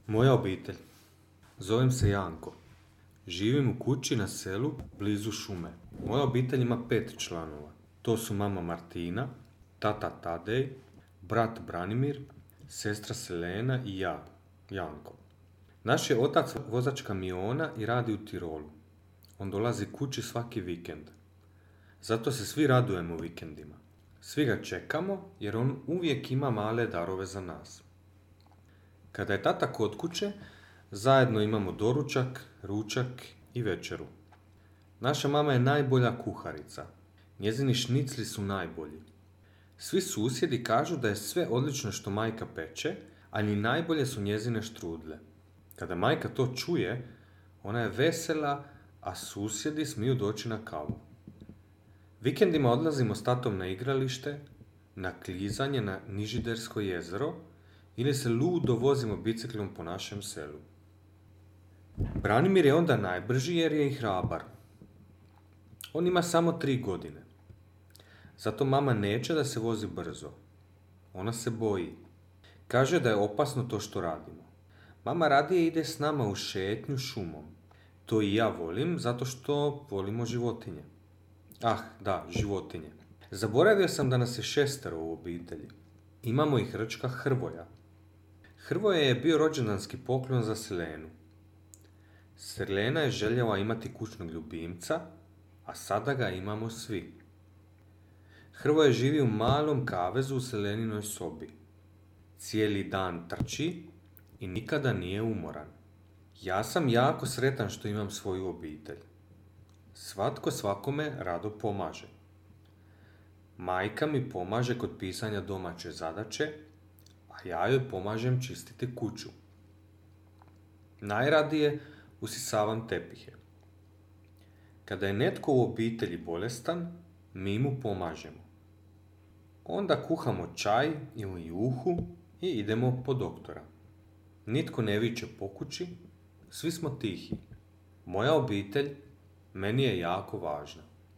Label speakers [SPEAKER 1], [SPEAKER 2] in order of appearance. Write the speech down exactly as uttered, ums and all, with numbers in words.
[SPEAKER 1] Moja obitelj. Zovem se Janko. Živim u kući na selu blizu šume. Moja obitelj ima pet članova. To su mama Martina, tata Tadej, brat Branimir, sestra Selena i ja, Janko. Naš je otac vozač kamiona i radi u Tirolu. On dolazi kući svaki vikend. Zato se svi radujemo vikendima. Svi ga čekamo jer on uvijek ima male darove za nas. Kada je tata kod kuće, zajedno imamo doručak, ručak i večeru. Naša mama je najbolja kuharica. Njezini šnicli su najbolji. Svi susjedi kažu da je sve odlično što majka peče, ali najbolje su njezine štrudle. Kada majka to čuje, ona je vesela, a susjedi smiju doći na kavu. Vikendima odlazimo s tatom na igralište, na klizanje na Nižidersko jezero ili se ludo vozimo biciklom po našem selu. Branimir je onda najbrži jer je i hrabar. On ima samo tri godine. Zato mama neće da se vozi brzo. Ona se boji. Kaže da je opasno to što radimo. Mama radije ide s nama u šetnju šumom. To i ja volim zato što volimo životinje. Ah, da, životinje. Zaboravio sam da nas je šestero u obitelji. Imamo i hrčka Hrvoja. Hrvoje je bio rođendanski poklon za Selenu. Selena je željela imati kućnog ljubimca, a sada ga imamo svi. Hrvoje živi u malom kavezu u Seleninoj sobi. Cijeli dan trči i nikada nije umoran. Ja sam jako sretan što imam svoju obitelj. Svatko svakome rado pomaže. Majka mi pomaže kod pisanja domaće zadaće, a ja joj pomažem čistiti kuću. Najradije usisavam tepihe. Kada je netko u obitelji bolestan, mi mu pomažemo. Onda kuhamo čaj ili juhu i idemo po doktora. Nitko ne viče po kući, svi smo tihi. Moja obitelj meni je jako važna.